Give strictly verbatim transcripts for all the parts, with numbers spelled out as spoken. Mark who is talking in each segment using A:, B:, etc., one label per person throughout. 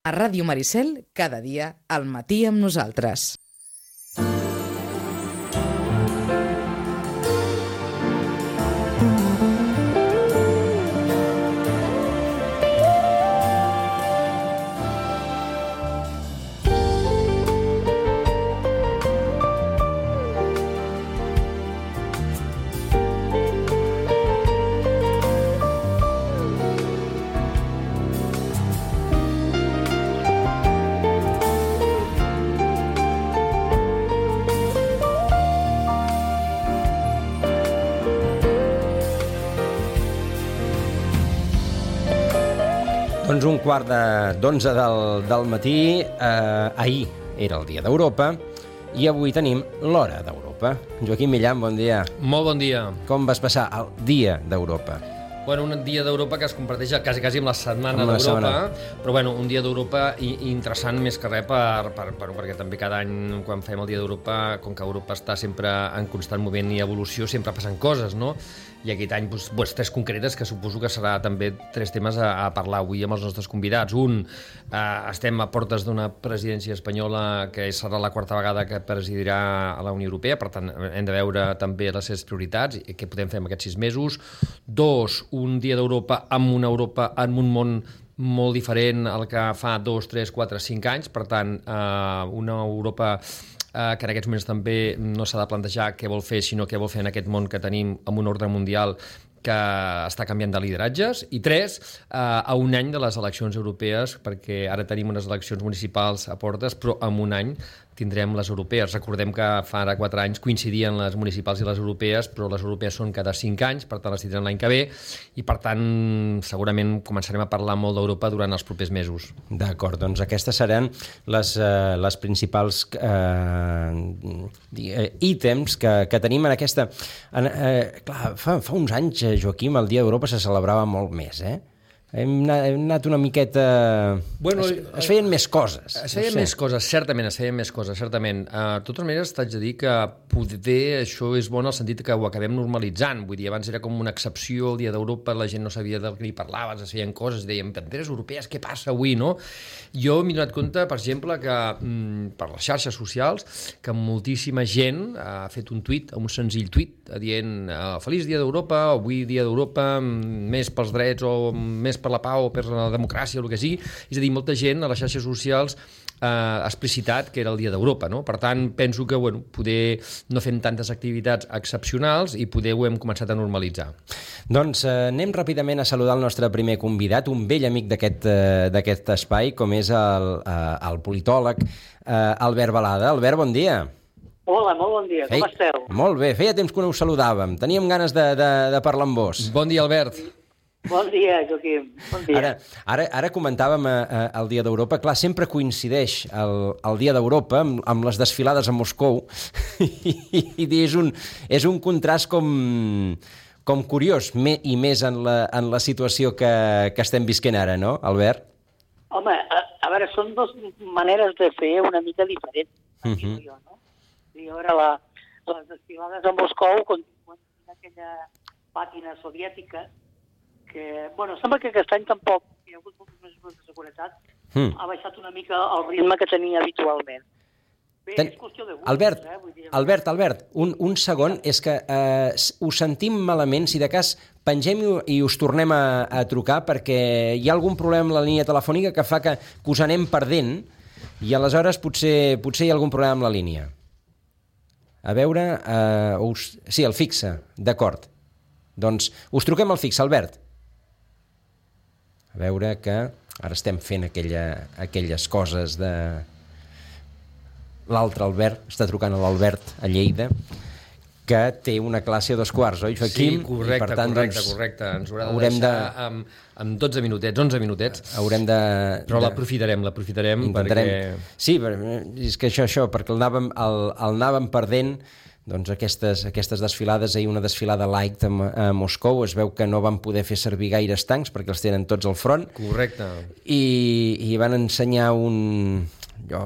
A: A Ràdio Maricel, cada dia, al matí amb nosaltres.
B: Doncs un quart d'onze del, del matí, eh, ahir era el dia d'Europa i avui tenim l'hora d'Europa. Joaquim Millan, bon dia.
C: Molt bon dia.
B: Com vas passar el dia d'Europa?
C: Bueno, un dia d'Europa que es comparteix quasi, quasi amb la setmana
B: Amb la
C: d'Europa,
B: setmana.
C: però bueno, un dia d'Europa i, i interessant més que res per, per, per, perquè també cada any quan fem el dia d'Europa, com que Europa està sempre en constant moviment i evolució, sempre passen coses, no? I aquest any, doncs, doncs, tres concretes que suposo que serà també tres temes a, a parlar avui amb els nostres convidats. Un, eh, estem a portes d'una presidència espanyola que serà la quarta vegada que presidirà a la Unió Europea, per tant hem de veure també les seves prioritats i què podem fer en aquests sis mesos. Dos, un dia d'Europa amb una Europa en un món molt diferent al que fa dos, tres, quatre, cinc anys, per tant eh, una Europa eh, que en aquests moments també no s'ha de plantejar què vol fer, sinó què vol fer en aquest món que tenim amb un ordre mundial que està canviant de lideratges. I tres, eh, a un any de les eleccions europees, perquè ara tenim unes eleccions municipals a portes, però en un any tindrem les europees. Recordem que fa ara quatre anys coincidien les municipals i les europees, però les europees són cada cinc anys, per tant les tindrem l'any que ve, i per tant segurament començarem a parlar molt d'Europa durant els propers mesos.
B: D'acord, doncs aquestes seran les, eh, les principals eh, ítems que, que tenim en aquesta... En, eh, clar, fa, fa uns anys, Joaquim, el Dia d'Europa se celebrava molt més, eh? Hem anat, hem anat una miqueta...
C: Bueno,
B: es, es feien més coses.
C: Es feien
B: no sé.
C: més coses, certament, es feien més coses, certament. Uh, de totes maneres, t'haig de dir que poder això és bon en el sentit que ho acabem normalitzant. Vull dir, abans era com una excepció, el Dia d'Europa, la gent no sabia del que hi parlaves, es feien coses, dèiem, banderes europees, què passa avui, no? Jo m'he donat compte, per exemple, que mm, per les xarxes socials, que moltíssima gent ha fet un tuit, un senzill tuit, dient uh, Feliç Dia d'Europa, avui Dia d'Europa, més pels drets o més per la pau o per la democràcia o el que sigui. És a dir, molta gent a les xarxes socials eh, ha explicitat que era el Dia d'Europa, no? Per tant, penso que bueno, poder no fem tantes activitats excepcionals i poder ho hem començat a normalitzar.
B: Doncs eh, anem ràpidament a saludar el nostre primer convidat, un vell amic d'aquest eh, d'aquest espai, com és el, eh, el politòleg eh, Albert Balada. Albert, bon dia.
D: Hola, molt bon dia, com
B: Ei,
D: esteu?
B: Molt bé, feia temps que no us saludàvem, teníem ganes de, de, de parlar amb vos.
C: Bon dia, Albert.
D: Bon dia, Joaquim, bon dia.
B: Ara, ara, ara comentàvem eh, el Dia d'Europa, clar, sempre coincideix el, el Dia d'Europa amb, amb les desfilades a Moscou i, i és, un, és un contrast com, com curiós, me, i més en la, en la situació que, que estem visquent ara, no, Albert?
D: Home, a, a veure, són dues maneres de fer una mica diferents, uh -huh. jo, no? I a veure, la, les desfilades a Moscou continuen aquella pàtina soviètica que, bueno, sembla que aquest any tampoc hi ha hagut moltes mesures de seguretat, mm. ha baixat una mica el ritme que tenia habitualment. Bé, Ten... és qüestió de gust,
B: Albert,
D: eh? Vull dir,
B: Albert, Albert, un, un segon, és que eh, us sentim malament, si de cas pengem i, i us tornem a, a trucar perquè hi ha algun problema amb la línia telefònica que fa que, que us anem perdent i aleshores potser, potser hi ha algun problema amb la línia. A veure, eh, us... sí, el fixe, d'acord. Doncs us truquem al fixe, Albert. A veure que ara estem fent aquella, aquelles coses de... L'altre Albert, està trucant a l'Albert a Lleida, que té una classe a dos quarts, oi, Joaquim?
C: Sí, correcte,
B: per tant,
C: correcte,
B: doncs,
C: correcte. Ens haurà de
B: haurem
C: deixar
B: de...
C: amb, amb dotze minutets, onze minutets.
B: Haurem de...
C: Però
B: de...
C: l'aprofitarem, l'aprofitarem
B: Intentarem...
C: perquè...
B: Sí, és que això, això, perquè el anàvem, el, el anàvem perdent. Doncs aquestes, aquestes desfilades, ahir una desfilada light a, a Moscou, es veu que no van poder fer servir gaires tancs perquè els tenen tots al front.
C: Correcte.
B: I, i van ensenyar un... Jo,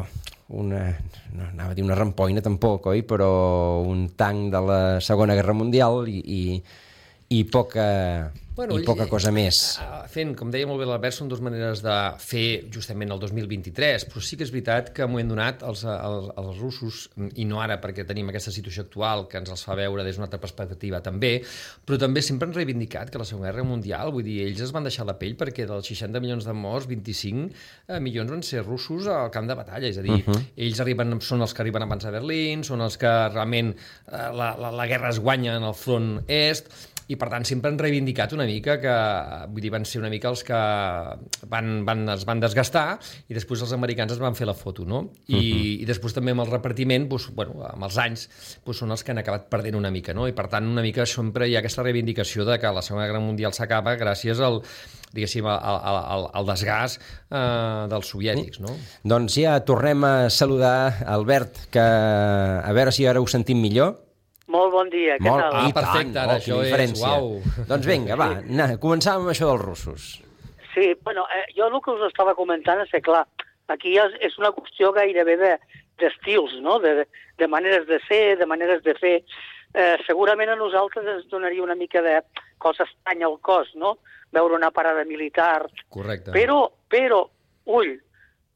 B: una... no anava a dir una rampoina tampoc, oi? Però un tanc de la Segona Guerra Mundial i, i, i poca... Bueno, i poca cosa més.
C: Fent, com deia molt bé l'Albert, són dues maneres de fer justament el dos mil vint-i-tres, però sí que és veritat que m'ho hem donat els, els, els russos, i no ara perquè tenim aquesta situació actual que ens els fa veure des d'una altra perspectiva també, però també sempre han reivindicat que la Segona Guerra Mundial, vull dir, ells es van deixar la pell perquè dels seixanta milions de morts, vint-i-cinc milions van ser russos al camp de batalla, és a dir, uh-huh. ells arriben, són els que arriben abans a Berlín, són els que realment eh, la, la, la guerra es guanya en el front est, i per tant sempre han reivindicat una mica que, vull dir, van ser una mica els que van, van, es van desgastar i després els americans es van fer la foto, no? I, uh-huh. i després també amb el repartiment, doncs, bueno, amb els anys, doncs, són els que han acabat perdent una mica, no? I per tant una mica sempre hi ha aquesta reivindicació de que la Segona Guerra Mundial s'acaba gràcies al diguéssim, al, al, al desgast eh, dels soviètics, no?
B: Doncs ja tornem a saludar Albert, que a veure si ara ho sentim millor.
D: Molt bon dia, què
B: molt,
D: tal?
C: Ah, perfecte, ara, oh, això és, uau.
B: Doncs vinga, va, na, començàvem amb això dels russos.
D: Sí, bueno, eh, jo el que us estava comentant és que, clar, aquí és, és una qüestió gairebé d'estils, no?, de, de maneres de ser, de maneres de fer. Eh, segurament a nosaltres ens donaria una mica de cosa estranya al cos, no?, veure una parada militar.
C: Correcte.
D: Però, però, ull,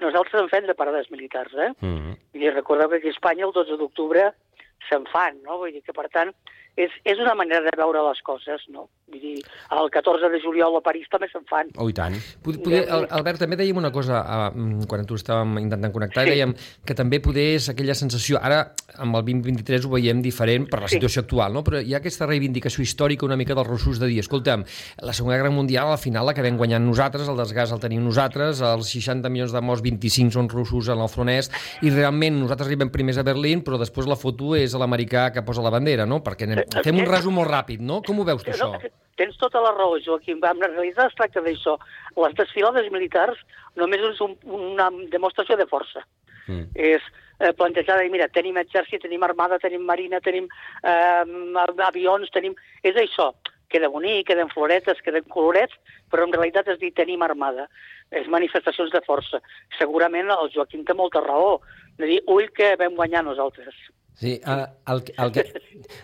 D: nosaltres en fem de parades militars, eh? Mm-hmm. I recordeu que aquí a Espanya el dotze d'octubre se'n fan, no? Vull dir que, per tant, és, és una manera de veure les coses, no? Vull dir, el catorze de juliol a París també se'n fan.
B: Oh, i tant.
C: Poder, Albert, també dèiem una cosa, uh, quan tu estàvem intentant connectar, sí. dèiem que també poder és aquella sensació, ara amb el vint vint-i-tres ho veiem diferent per la situació sí. actual, no? Però hi ha aquesta reivindicació històrica una mica dels russos de dir, escolta'm, la Segona Guerra Mundial al final l'acabem guanyant nosaltres, el desgast el tenim nosaltres, els seixanta milions de morts, vint-i-cinc són russos en el front est, i realment nosaltres arribem primers a Berlín, però després la foto és l'americà que posa la bandera, no? Perquè anem, fem un resum molt ràpid, no? Com ho veus tu, això?
D: Tens tota la raó, Joaquim. En realitat es tracta d'això. Les desfilades militars només és un, una demostració de força. Mm. És eh, plantejar, mira, tenim exèrcit, tenim armada, tenim marina, tenim eh, avions, tenim... És això. Queda bonic, queden floretes, queden colorets, però en realitat és dir, tenim armada. És manifestacions de força. Segurament el Joaquim té molta raó. De dir, ull, que vam guanyar nosaltres.
B: Sí, el, el, el, que,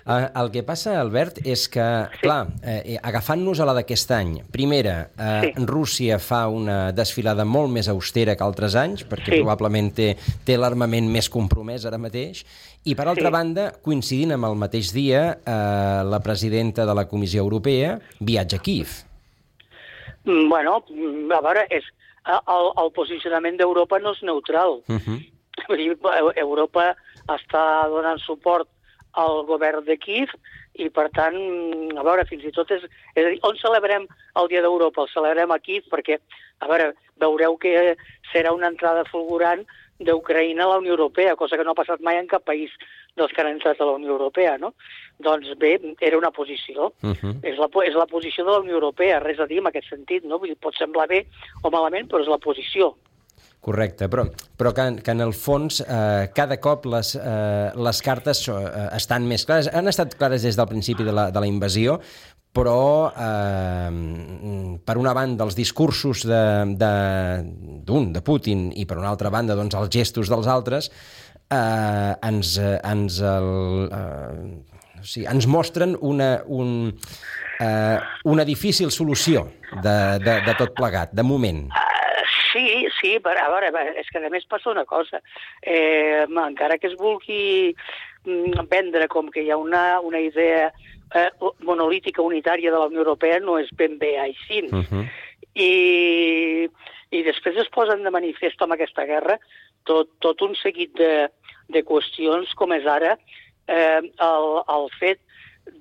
B: el que passa, Albert, és que, sí. clar, eh, agafant-nos a la d'aquest any, primera, eh, sí. Rússia fa una desfilada molt més austera que altres anys, perquè sí. probablement té, té l'armament més compromès ara mateix, i per altra sí. banda, coincidint amb el mateix dia, eh, la presidenta de la Comissió Europea viatja a Kíev.
D: Bueno, a veure, és, el, el posicionament d'Europa no és neutral. Uh-huh. Europa està donant suport al govern de Kíev i, per tant, a veure, fins i tot és... És a dir, on celebrem el Dia d'Europa? El celebrem a Kíev perquè, a veure, veureu que serà una entrada fulgurant d'Ucraïna a la Unió Europea, cosa que no ha passat mai en cap país dels que han entrat a la Unió Europea, no? Doncs bé, era una posició. Uh-huh. És, la, és la posició de la Unió Europea, res a dir en aquest sentit, no? Vull dir, pot semblar bé o malament, però és la posició.
B: Correcte, però, però que, que en el fons eh, cada cop les, eh, les cartes eh, estan més clares. Han estat clares des del principi de la, de la invasió, però eh, per una banda els discursos d'un, de, de, de Putin i per una altra banda doncs, els gestos dels altres eh, ens, ens, el, eh, o sigui, ens mostren una, un, eh, una difícil solució de, de, de tot plegat, de moment.
D: Sí, sí, però a veure, és que a més passa una cosa. Eh, encara que es vulgui vendre com que hi ha una, una idea eh, monolítica unitària de la Unió Europea, no és ben bé així. Uh-huh. I, I després es posen de manifest amb aquesta guerra tot, tot un seguit de, de qüestions com és ara eh, el, el fet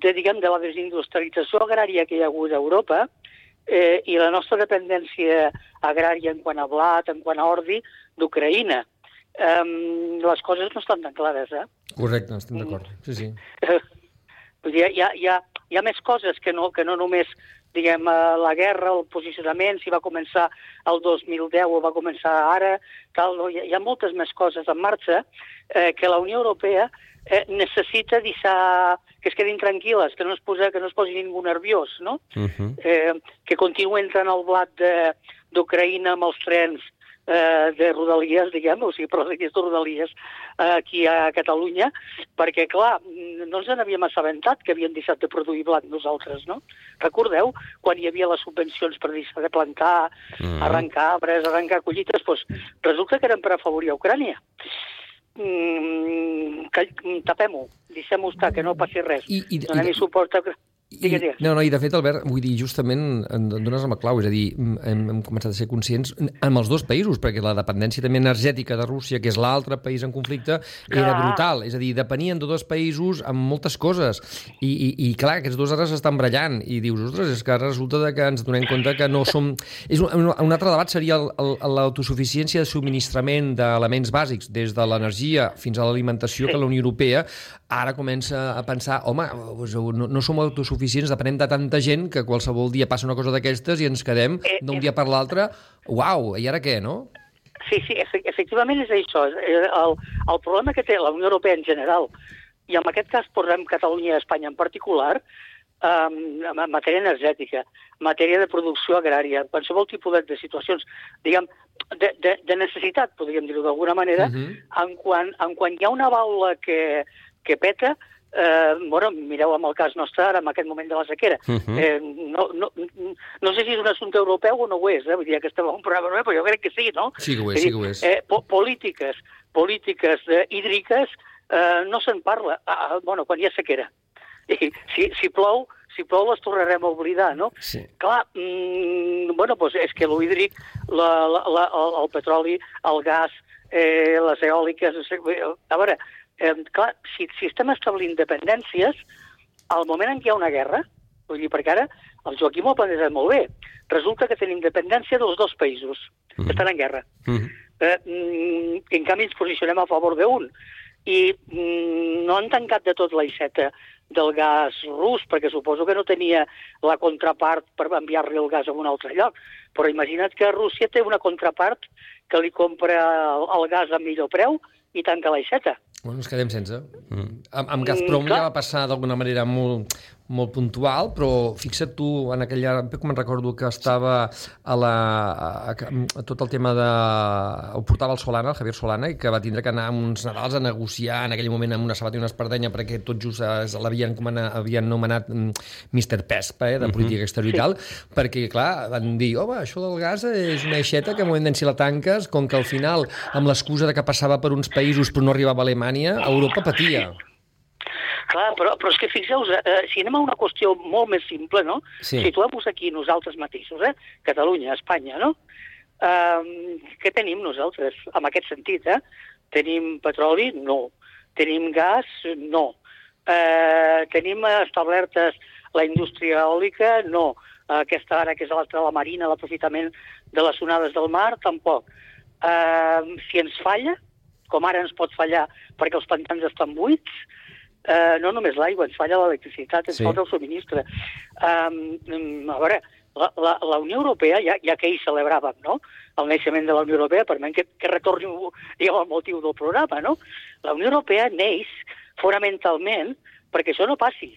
D: de, diguem, de la desindustrialització agrària que hi ha hagut a Europa, Eh, i la nostra dependència agrària en quant a blat, en quant a ordi, d'Ucraïna. Eh, les coses no estan tan clares, eh?
C: Correcte, estem d'acord. Sí, sí.
D: Eh, hi, ha, hi, ha, hi ha més coses que no, que no només, diguem, la guerra, el posicionament, si va començar el dos mil deu o va començar ara, tal, no? Hi ha moltes més coses en marxa eh, que la Unió Europea eh, necessita deixar que es quedin tranquil·les, que no es, posa, que no es posi ningú nerviós, no? Uh-huh. eh, que continuï entrant el blat d'Ucraïna amb els trens eh, de Rodalies, diguem, o sigui, per les línies de Rodalies eh, aquí a Catalunya, perquè, clar, no ens n'havíem assabentat que havien deixat de produir blat nosaltres, no? Recordeu, quan hi havia les subvencions per deixar de plantar, mm. arrencar arbres, arrencar collites, doncs resulta que eren per afavorir a Ucrània. Mm, que, tapem-ho, deixem-ho estar, que no passi res.
C: I, i,
D: Donem-hi suport a...
C: I, no, no, i de fet, Albert, vull dir, justament em dones amb la clau, és a dir, hem, hem començat a ser conscients amb els dos països, perquè la dependència també energètica de Rússia, que és l'altre país en conflicte, era clar. brutal, és a dir, depenien de dos països amb moltes coses, i, i, i clar, aquests dos ara s'estan brallant, i dius, ostres, és que ara resulta que ens donem compte que no som... És un, un altre debat seria l'autosuficiència de subministrament d'elements bàsics, des de l'energia fins a l'alimentació, que la Unió Europea ara comença a pensar, home, no, no som autosuficients, depenem de tanta gent que qualsevol dia passa una cosa d'aquestes i ens quedem d'un dia per l'altre, uau, i ara què, no?
D: Sí, sí, efectivament és això. El, el problema que té la Unió Europea en general, i en aquest cas posem Catalunya i Espanya en particular, um, en matèria energètica, en matèria de producció agrària, en qualsevol tipus de, de situacions, diguem, de, de, de necessitat, podríem dir-ho d'alguna manera, uh-huh. en, quan, en quan hi ha una baula que, que peta, Eh, bueno, mireu amb el cas nostre ara, en aquest moment de la sequera. Uh-huh. eh, no, no, no sé si és un assumpte europeu o no ho és, eh? Vull dir que estem en un programa europeu, però jo crec que sí, no?
C: Sí que ho és, sí que ho és.
D: Eh, po polítiques, polítiques eh, hídriques eh, no se'n parla, ah, bueno, quan hi ha sequera. I si, si plou, si plou les tornarem a oblidar, no? Sí. Clar, mm, bueno, doncs és que l'hídric, la, la, la, el, el petroli, el gas, eh, les eòliques... A veure, Eh, clar, si, si estem establint dependències, al moment en què hi ha una guerra, vull dir, perquè ara el Joaquim ho ha plantejat molt bé, resulta que tenim dependència dels dos països mm. que estan en guerra. Mm. Eh, mm, en canvi ens posicionem a favor d'un. I mm, no han tancat de tot l'aixeta del gas rus, perquè suposo que no tenia la contrapart per enviar-li el gas a un altre lloc. Però imagina't que Rússia té una contrapart que li compra el, el gas a millor preu i tanca l'aixeta.
C: Bueno, ens quedem sense. Mm. Amb, amb Gazprom mm, ja va passar d'alguna manera molt, molt puntual, però fixa't tu, en aquella... Com me'n recordo que estava a la... A, a tot el tema de... Ho portava el Solana, el Javier Solana, i que va tindre que anar amb uns Nadals a negociar en aquell moment amb una sabata i una espardenya perquè tot just l'havien havien nomenat mister Pespa, eh, de política exterior i tal, perquè, clar, van dir, home, això del gas és una aixeta que en moment si la tanques, com que al final, amb l'excusa de que passava per uns països però no arribava a Alemanya, Europa patia.
D: Clar, però, però és que fixeu-vos, eh, si anem a una qüestió molt més simple, no? Sí. Situem-vos aquí nosaltres mateixos, eh? Catalunya, Espanya, no? Eh, què tenim nosaltres en aquest sentit, eh? Tenim petroli? No. Tenim gas? No. Eh, tenim establertes la indústria eòlica? No. Eh, aquesta ara que és l'altra, la marina, l'aprofitament de les onades del mar? Tampoc. Eh, si ens falla, com ara ens pot fallar perquè els pantans estan buits, eh, no només l'aigua, ens falla l'electricitat, ens sí. falta el subministre. Um, a veure, la, la, la Unió Europea, ja, ja que hi celebràvem, no?, el naixement de la Unió Europea, permet que, que retorni, diguem, el motiu del programa, no? La Unió Europea neix fonamentalment perquè això no passi,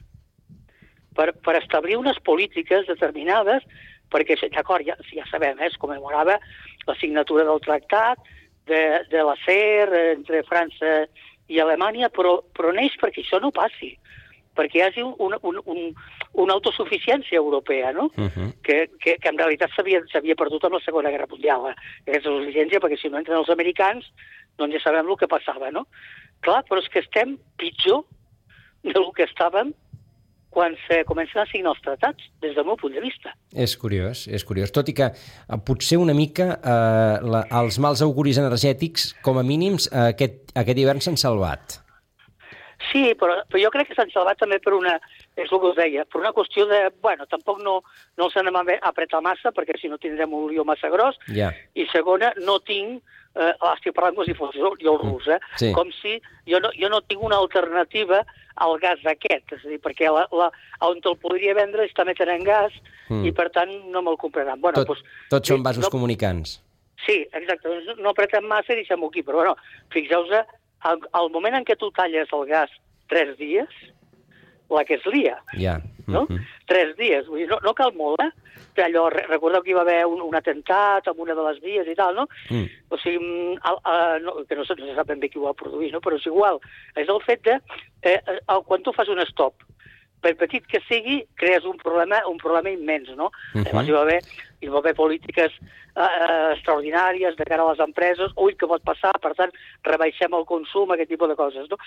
D: per, per establir unes polítiques determinades, perquè, d'acord, ja, ja sabem, eh, es commemorava la signatura del tractat, de, de l'acer entre França i Alemanya, però, però neix perquè això no passi, perquè hi hagi una, un, un, una autosuficiència europea, no? Uh-huh. que, que, que en realitat s'havia perdut amb la Segona Guerra Mundial, eh? Aquesta autosuficiència, perquè si no entren els americans, doncs ja sabem el que passava, no? Clar, però és que estem pitjor del que estàvem quan se comencen a signar els tractats, des del meu punt de vista.
B: És curiós, és curiós. Tot i que eh, potser una mica eh, la, els mals auguris energètics, com a mínims, eh, aquest, aquest hivern s'han salvat.
D: Sí, però, però jo crec que s'han salvat també per una, és el que us deia, per una qüestió de, bueno, tampoc no, no els anem a apretar massa, perquè si no tindrem un lió massa gros, yeah. I segona, no tinc, eh, estic parlant com si fos jo el rus, eh? Sí. Com si jo no, jo no tinc una alternativa al gas aquest, és a dir, perquè la, la, on te'l podria vendre està metent en gas mm. i, per tant, no me'l compraran. Bueno,
B: Tot, doncs, tots són vasos no, comunicants.
D: Sí, exacte. Doncs no apretem massa i deixem-ho aquí, però, bueno, fixeu-vos, al, al moment en què tu talles el gas tres dies, la que es lia.
B: Ja.
D: No?
B: Mm-hmm.
D: Tres dies. Vull dir, no, no cal molt, eh? Allò, recordeu que hi va haver un, un atemptat amb una de les vies i tal, no?
B: Mm.
D: O sigui, el, el, no, que no se, no se sap ben bé qui ho va produir, no? Però és igual. És el fet de, eh, el, quan tu fas un stop, per petit que sigui, crees un problema, un problema immens, no? Uh-huh. Llavors hi va haver, hi va haver polítiques eh, extraordinàries de cara a les empreses, ui, què pot passar, per tant, rebaixem el consum, aquest tipus de coses, no?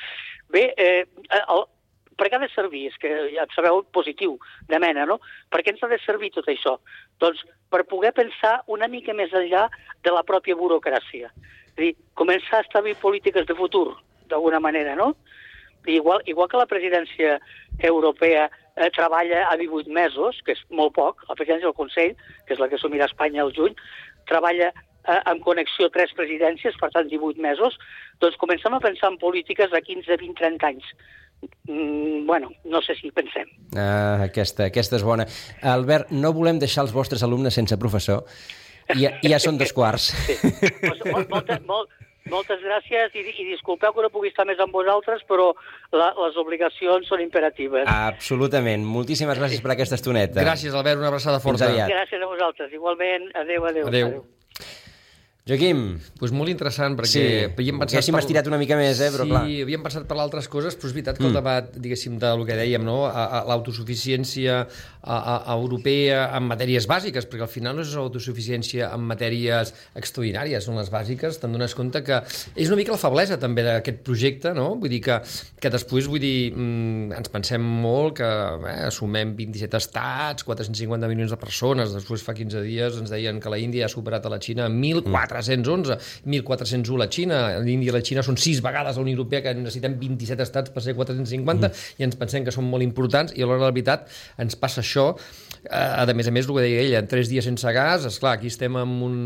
D: Bé, eh, el, per què ha de servir? És que ja sabeu, positiu, de mena, no? Per què ens ha de servir tot això? Doncs per poder pensar una mica més enllà de la pròpia burocràcia. És a dir, començar a establir polítiques de futur, d'alguna manera, no? Igual, igual que la presidència europea eh, treballa a divuit mesos, que és molt poc, la presidència del Consell, que és la que assumirà Espanya al juny, treballa eh, en connexió tres presidències, per tant divuit mesos, doncs comencem a pensar en polítiques de quinze, vint, trenta anys. Mm, bueno, no sé si hi pensem.
B: Ah, aquesta, aquesta és bona. Albert, no volem deixar els vostres alumnes sense professor. Ja, ja són dos quarts.
D: Sí. Pues, molt, molt, molt, moltes gràcies i, i disculpeu que no pugui estar més amb vosaltres, però la, les obligacions són imperatives.
B: Absolutament. Moltíssimes gràcies per aquesta estoneta.
C: Gràcies, Albert, una abraçada forta.
D: Gràcies a vosaltres. Igualment, adeu, adeu.
C: Adeu.
D: adeu.
B: Joaquim.
C: Pues molt interessant, perquè
B: Sí,
C: havíem pensat...
B: haguéssim
C: per...
B: estirat una mica més, eh, però
C: sí,
B: clar.
C: Sí, havíem pensat per altres coses, però és veritat que el debat, diguéssim, del que dèiem, no? a, a, l'autosuficiència a, a, a europea en matèries bàsiques, perquè al final no és autosuficiència en matèries extraordinàries, són les bàsiques, te'n dones compte que és una mica la feblesa també d'aquest projecte, no? Vull dir que, que després, vull dir, mm, ens pensem molt que eh, assumem vint-i-set estats, quatre-cents cinquanta milions de persones, després fa quinze dies ens deien que la Índia ha superat a la Xina mil quatre-cents onze, mil quatre-cents u la Xina, l'Índia i la Xina són sis vegades a la Unió Europea, que necessitem vint-i-set estats per ser quatre-cents cinquanta, mm. i ens pensem que són molt importants, i a l'hora de la veritat ens passa això. A més a més, el que deia ella, en tres dies sense gas, esclar, aquí estem amb un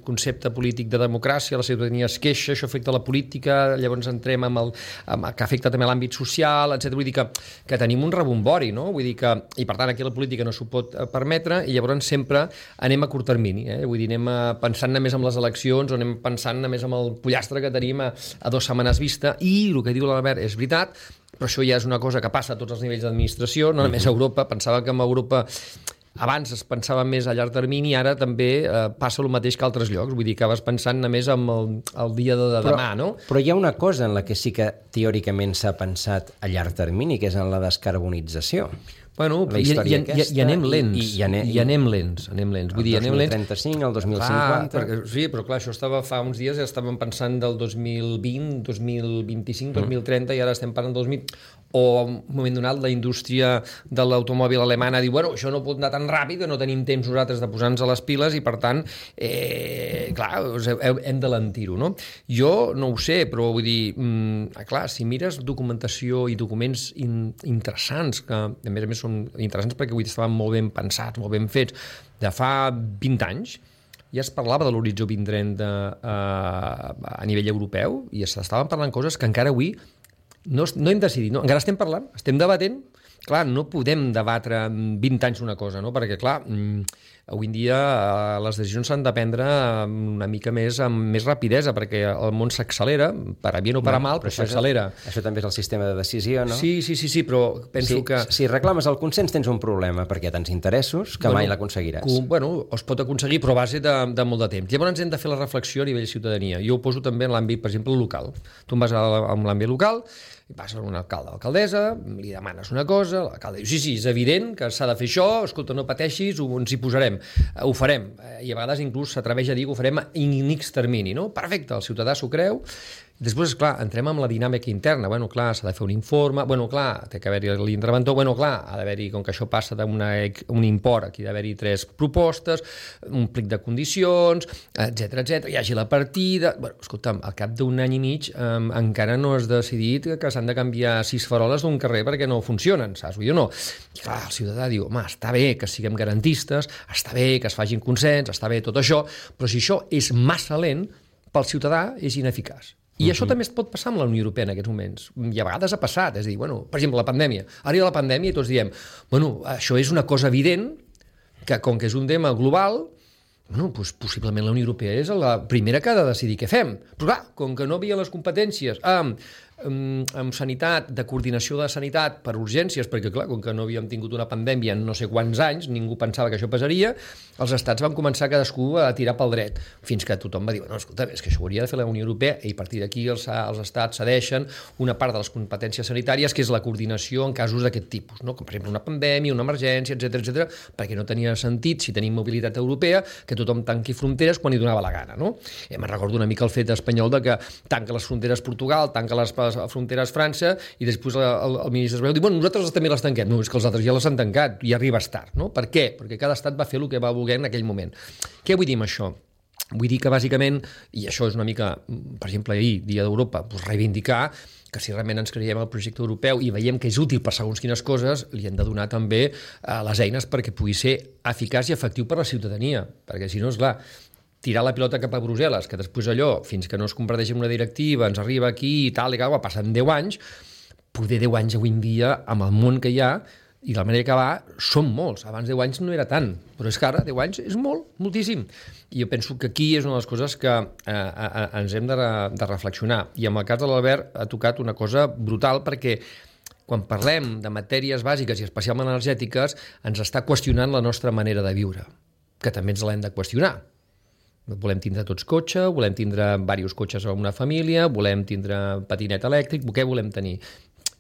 C: concepte polític de democràcia, la ciutadania es queixa, això afecta la política, llavors entrem amb el amb, que afecta també l'àmbit social, etcètera. Vull dir que, que tenim un rebombori, no? Vull dir que, i per tant aquí la política no s'ho pot permetre, i llavors sempre anem a curt termini, eh? Vull dir, anem a, pensant només en les eleccions, o anem pensant només en el pollastre que tenim a, a dues setmanes vista, i el que diu l'Albert és veritat, però això ja és una cosa que passa a tots els nivells d'administració, no només a Europa. Pensava que en Europa abans es pensava més a llarg termini, ara també eh, passa el mateix que a altres llocs, vull dir que vas pensant només en el, el dia de, de
B: però,
C: demà, no?
B: Però hi ha una cosa en la que sí que teòricament s'ha pensat a llarg termini, que és en la descarbonització.
C: Bueno,
B: la
C: i, i, i, i anem lents,
B: i, i, anem,
C: i anem lents, anem lents. Vull dir,
B: el dos mil trenta-cinc, el dos mil cinquanta...
C: Clar, perquè, sí, però clar, això estava fa uns dies, ja estàvem pensant del dos mil vint, dos mil vint-i-cinc, dos mil trenta, i ara estem parlant del dos mil... O en un moment donat la indústria de l'automòbil alemana diu, bueno, això no pot anar tan ràpid, no tenim temps nosaltres de posar-nos a les piles i per tant, eh, clar, hem de lentir-ho, no? Jo no ho sé, però vull dir, mm, clar, si mires documentació i documents in, interessants, que a més a més són interessants perquè avui estaven molt ben pensats, molt ben fets, de fa vint anys, ja es parlava de l'horitzó vint trenta eh, a nivell europeu i s'estaven parlant coses que encara avui no, no hem decidit, no? Encara estem parlant, estem debatent. Clar, no podem debatre vint anys una cosa, no? Perquè, clar, avui en dia les decisions s'han de prendre una mica més amb més rapidesa, perquè el món s'accelera, per a bien o per a mal, però s'accelera.
B: Això també és el sistema de decisió, no?
C: Sí, sí, sí, sí, però penso
B: si,
C: que...
B: Si reclames el consens tens un problema, perquè hi ha tants interessos que bueno, mai l'aconseguiràs.
C: Bueno, es pot aconseguir, però a base de, de molt de temps. Llavors hem de fer la reflexió a nivell de ciutadania. Jo ho poso també en l'àmbit, per exemple, local. Tu em vas a l'àmbit local, i vas a un alcalde o alcaldessa, li demanes una cosa, l'alcalde diu, sí, sí, és evident que s'ha de fer això, escolta, no pateixis, ens hi posarem, ho farem, i a vegades inclús s'atreveix a dir que ho farem en X termini, no? Perfecte, el ciutadà s'ho creu. Després, clar, entrem amb la dinàmica interna. Bueno, clar, s'ha de fer un informe. Bueno, clar, té que haver-hi l'interventor. Bueno, clar, ha d'haver-hi, com que això passa d'un import, aquí ha d'haver-hi tres propostes, un plic de condicions, etcètera, etcètera. Hi hagi la partida... Bueno, escolta'm, al cap d'un any i mig eh, encara no has decidit que s'han de canviar sis faroles d'un carrer perquè no funcionen, saps? Vull dir, no. I clar, el ciutadà diu, home, està bé que siguem garantistes, està bé que es facin consens, està bé tot això, però si això és massa lent, pel ciutadà és ineficaç. I uh-huh. això també es pot passar amb la Unió Europea en aquests moments. I a vegades ha passat, és a dir, bueno, per exemple, la pandèmia. Ara hi ha la pandèmia i tots diem, bueno, això és una cosa evident, que com que és un tema global, bueno, doncs possiblement la Unió Europea és la primera que ha de decidir què fem. Però clar, com que no havia les competències amb amb sanitat, de coordinació de sanitat per urgències, perquè clar, com que no havíem tingut una pandèmia en no sé quants anys, ningú pensava que això passaria, els estats van començar cadascú a tirar pel dret, fins que tothom va dir, no, escolta, és que això ho hauria de fer la Unió Europea, i a partir d'aquí els, els estats cedeixen una part de les competències sanitàries, que és la coordinació en casos d'aquest tipus, no? Com per exemple una pandèmia, una emergència, etcètera, etcètera, perquè no tenia sentit, si tenim mobilitat europea, que tothom tanqui fronteres quan li donava la gana, no? I me'n recordo una mica el fet espanyol de que tanca les fronteres Portugal, tanca les fronteres França, i després el, el, el ministre espanyol diu, bueno, nosaltres també les tanquem. No, és que els altres ja les han tancat, i arribes tard, no? Per què? Perquè cada estat va fer el que va voler en aquell moment. Què vull dir amb això? Vull dir que, bàsicament, i això és una mica, per exemple, ahir, Dia d'Europa, doncs reivindicar que si realment ens creiem el projecte europeu i veiem que és útil per segons quines coses, li hem de donar també eh, les eines perquè pugui ser eficaç i efectiu per a la ciutadania. Perquè, si no, és clar, tirar la pilota cap a Brussel·les, que després allò, fins que no es converteix en una directiva, ens arriba aquí i tal, i tal, passen deu anys, poder deu anys avui en dia, amb el món que hi ha, i de la manera que va, són molts. Abans deu anys no era tant, però és que ara deu anys és molt, moltíssim. I jo penso que aquí és una de les coses que eh, eh, ens hem de, de reflexionar. I en el cas de l'Albert ha tocat una cosa brutal, perquè quan parlem de matèries bàsiques i especialment energètiques, ens està qüestionant la nostra manera de viure, que també ens l'hem de qüestionar. Volem tindre tots cotxe, volem tindre diversos cotxes a una família, volem tindre patinet elèctric, què volem tenir?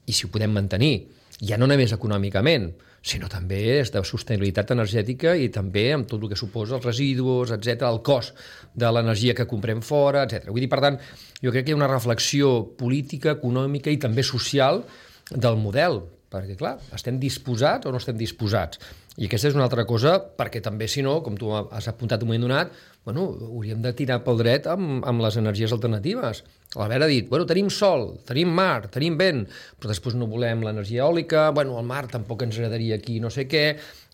C: I si ho podem mantenir, ja no només econòmicament, sinó també és de sostenibilitat energètica i també amb tot el que suposa els residus, etcètera, el cost de l'energia que comprem fora, etcètera. Vull dir, per tant, jo crec que hi ha una reflexió política, econòmica i també social del model, perquè, clar, estem disposats o no estem disposats? I aquesta és una altra cosa, perquè també, si no, com tu has apuntat un moment donat, bueno, hauríem de tirar pel dret amb, amb les energies alternatives. L'Albert ha dit, bueno, tenim sol, tenim mar, tenim vent, però després no volem l'energia eòlica, bueno, el mar tampoc ens agradaria aquí no sé què,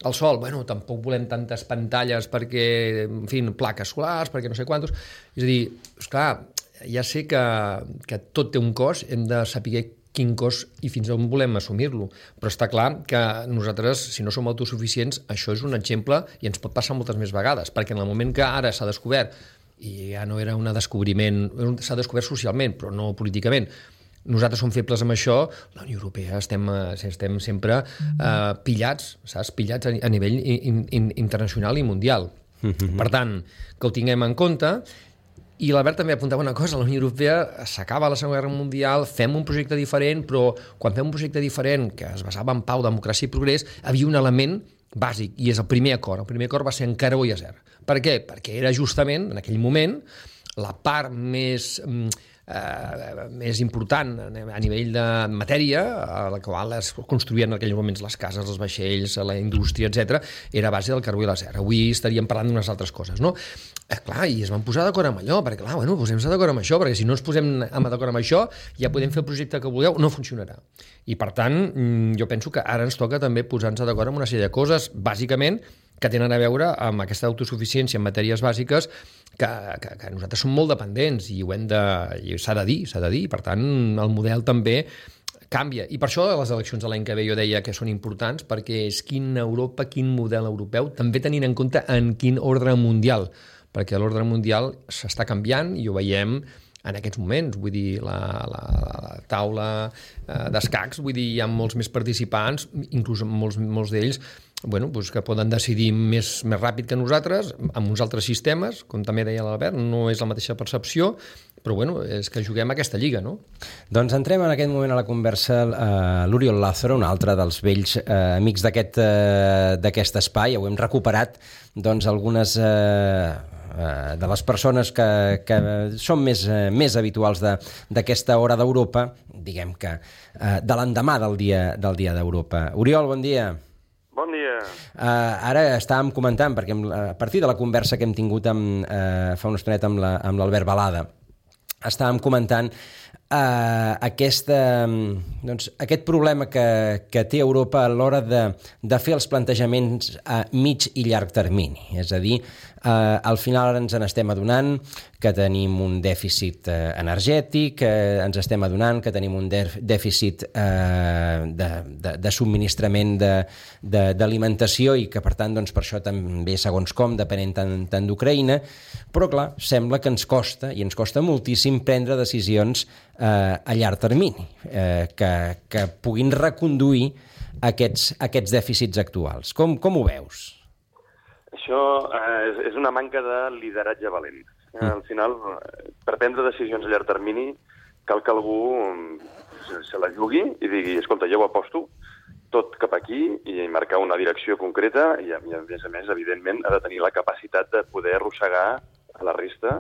C: el sol, bueno, tampoc volem tantes pantalles perquè, en fi, plaques solars, perquè no sé quantos. És a dir, esclar, ja sé que, que tot té un cost, hem de saber quin cost i fins on volem assumir-lo. Però està clar que nosaltres, si no som autosuficients, això és un exemple i ens pot passar moltes més vegades, perquè en el moment que ara s'ha descobert, i ja no era un descobriment, s'ha descobert socialment, però no políticament, nosaltres som febles amb això, la Unió Europea estem, estem sempre eh, pillats, saps? Pillats a, a nivell in, in, internacional i mundial. Mm-hmm. Per tant, que ho tinguem en compte. I l'Albert també apuntava una cosa, la Unió Europea s'acaba la Segona Guerra Mundial, fem un projecte diferent, però quan fem un projecte diferent que es basava en pau, democràcia i progrés, havia un element bàsic, i és el primer acord. El primer acord va ser en carbó i acer. Per què? Perquè era justament, en aquell moment, la part més... Eh, més important a nivell de matèria, a la qual es construïen en aquells moments les cases, els vaixells, la indústria, etcètera, era a base del carbó i l'acer. Avui estaríem parlant d'unes altres coses, no? Eh, clar, i es van posar d'acord amb allò, perquè clar, bueno, posem-se d'acord amb això, perquè si no ens posem d'acord amb això, ja podem fer el projecte que vulgueu, no funcionarà. I per tant, jo penso que ara ens toca també posar-nos d'acord amb una sèrie de coses, bàsicament, que tenen a veure amb aquesta autosuficiència en matèries bàsiques que, que, que nosaltres som molt dependents i ho hem de, i s'ha de dir, s'ha de dir, per tant el model també canvia. I per això les eleccions de l'any que ve jo deia que són importants, perquè és quina Europa, quin model europeu, també tenint en compte en quin ordre mundial, perquè l'ordre mundial s'està canviant i ho veiem en aquests moments, vull dir, la, la, la taula eh, d'escacs, vull dir, hi ha molts més participants, inclús molts, molts d'ells, bueno, doncs que poden decidir més, més ràpid que nosaltres, amb uns altres sistemes, com també deia l'Albert, no és la mateixa percepció, però bueno, és que juguem a aquesta lliga, no?
B: Doncs entrem en aquest moment a la conversa uh, l'Oriol Lázaro, un altre dels vells uh, amics d'aquest uh, d'aquest espai. Ho hem recuperat, doncs, algunes uh, uh, de les persones que, que són més, uh, més habituals d'aquesta hora d'Europa, diguem que uh, de l'endemà del dia del dia d'Europa. Oriol, bon dia.
E: Bon dia.
B: Uh, ara estàvem comentant, perquè a partir de la conversa que hem tingut amb, uh, fa una estoneta amb la, amb l'Albert Balada, estàvem comentant uh, aquesta, doncs, aquest problema que, que té Europa a l'hora de, de fer els plantejaments a mig i llarg termini. És a dir, uh, al final ara ens n'estem adonant que tenim un dèficit eh, energètic, eh, ens estem adonant que tenim un dèficit eh, de, de, de subministrament d'alimentació i que, per tant, doncs, per això també, segons com, depenent tant, tant d'Ucraïna, però, clar, sembla que ens costa, i ens costa moltíssim, prendre decisions eh, a llarg termini, eh, que, que puguin reconduir aquests, aquests dèficits actuals. Com, com ho veus?
E: Això eh, és una manca de lideratge valent. Mm. Al final, per prendre decisions a llarg termini, cal que algú se, se la jugui i digui, escolta, jo ho aposto tot cap aquí i marcar una direcció concreta i, i a més a més, evidentment, ha de tenir la capacitat de poder arrossegar a la resta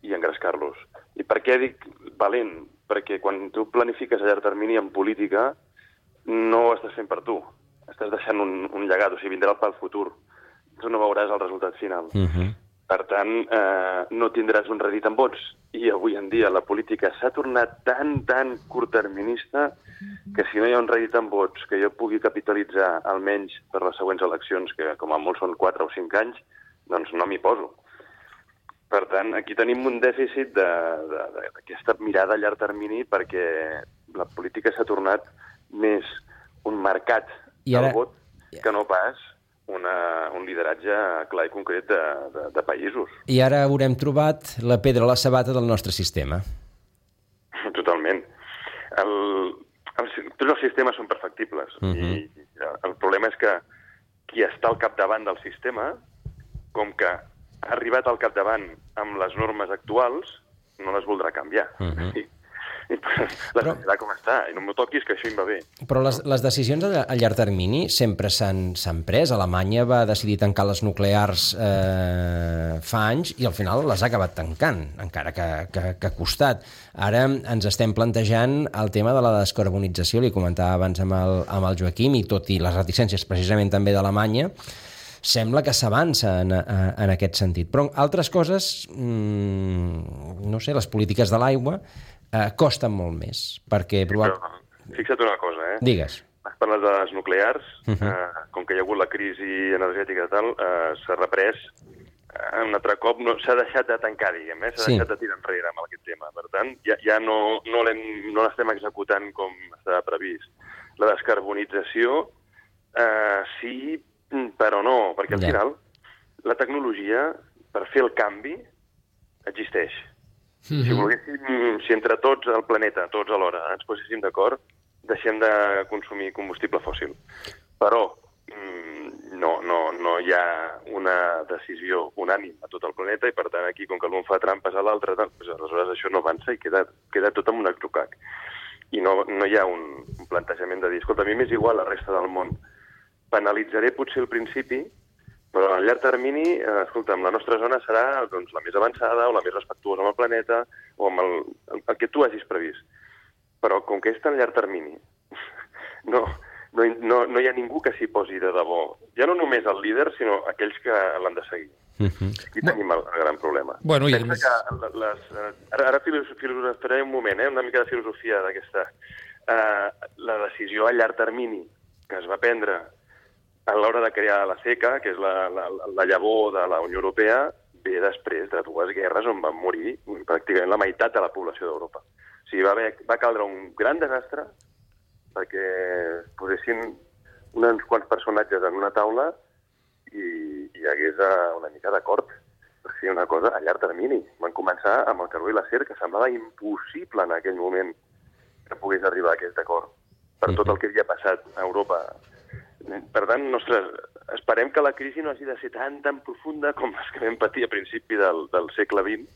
E: i engrescar-los. I per què dic valent? Perquè quan tu planifiques a llarg termini en política no ho estàs fent per tu. Estàs deixant un, un llegat, o sigui, vindrà pel futur. Tu no veuràs el resultat final. Uh-huh. Per tant, eh, no tindràs un rèdit en vots. I avui en dia la política s'ha tornat tan, tan curtterminista que si no hi ha un rèdit en vots que jo pugui capitalitzar almenys per les següents eleccions, que com a molt són quatre o cinc anys, doncs no m'hi poso. Per tant, aquí tenim un dèficit d'aquesta mirada a llarg termini perquè la política s'ha tornat més un mercat I ara... del vot que no pas una, un lideratge clar i concret de, de, de països.
B: I ara haurem trobat la pedra a la sabata del nostre sistema.
E: Totalment. El, el, tots els sistemes són perfectibles. Uh-huh. I el problema és que qui està al capdavant del sistema, com que ha arribat al capdavant amb les normes actuals, no les voldrà canviar. Uh-huh. I, i la però, com està, i no m'ho toquis, que això em va bé.
B: Però les, les decisions a, a llarg termini sempre s'han pres. Alemanya va decidir tancar les nuclears eh, fa anys i al final les ha acabat tancant, encara que, que, que ha costat. Ara ens estem plantejant el tema de la descarbonització, li comentava abans amb el, amb el Joaquim, i tot i les reticències precisament també d'Alemanya, sembla que s'avança en, en aquest sentit. Però altres coses, mmm, no sé, les polítiques de l'aigua, eh, costen molt més, perquè... Probar...
E: Però, fixa't una cosa, eh?
B: Digues.
E: Has parlat de les nuclears, uh-huh. eh, com que hi ha hagut la crisi energètica i tal, eh, s'ha reprès eh, un altre cop, no, s'ha deixat de tancar, diguem, eh? s'ha sí. deixat de tirar enrere amb aquest tema. Per tant, ja, ja no, no l'estem executant com estava previst. La descarbonització, eh, sí, però no, perquè al ja. final la tecnologia, per fer el canvi, existeix. Mm-hmm. Si volguéssim, si entre tots al planeta, tots alhora, ens poséssim d'acord, deixem de consumir combustible fòssil. Però no, no, no hi ha una decisió unànime a tot el planeta i, per tant, aquí, com que l'un fa trampes a l'altre, doncs, aleshores això no avança i queda, queda tot amb un atzucac. I no, no hi ha un, un plantejament de dir, escolta, a mi m'és igual la resta del món. Penalitzaré potser al principi, però a llarg termini, eh, escolta, la nostra zona serà doncs, la més avançada o la més respectuosa amb el planeta o amb el, el, el que tu hagis previst. Però com que és tan llarg termini, no, no, no, no hi ha ningú que s'hi posi de debò. Ja no només el líder, sinó aquells que l'han de seguir. Uh-huh. Aquí tenim el, el gran problema.
C: Bueno, i
E: Pensa que les, ara, ara filosofaré un moment, eh, una mica de filosofia d'aquesta. Uh, la decisió a llarg termini que es va prendre a l'hora de crear la CECA, que és la, la, la llavor de la Unió Europea, ve després de dues guerres on van morir pràcticament la meitat de la població d'Europa. O sigui, va, haver, va caldre un gran desastre perquè posessin uns quants personatges en una taula i hi hagués una mica d'acord. O sigui, una cosa a llarg termini. Van començar amb el carbó i l'acer, que semblava impossible en aquell moment que pogués arribar a aquest acord per tot el que havia passat a Europa. Per tant, ostres, esperem que la crisi no hagi de ser tan, tan profunda com les que vam patir a principi del, del segle vint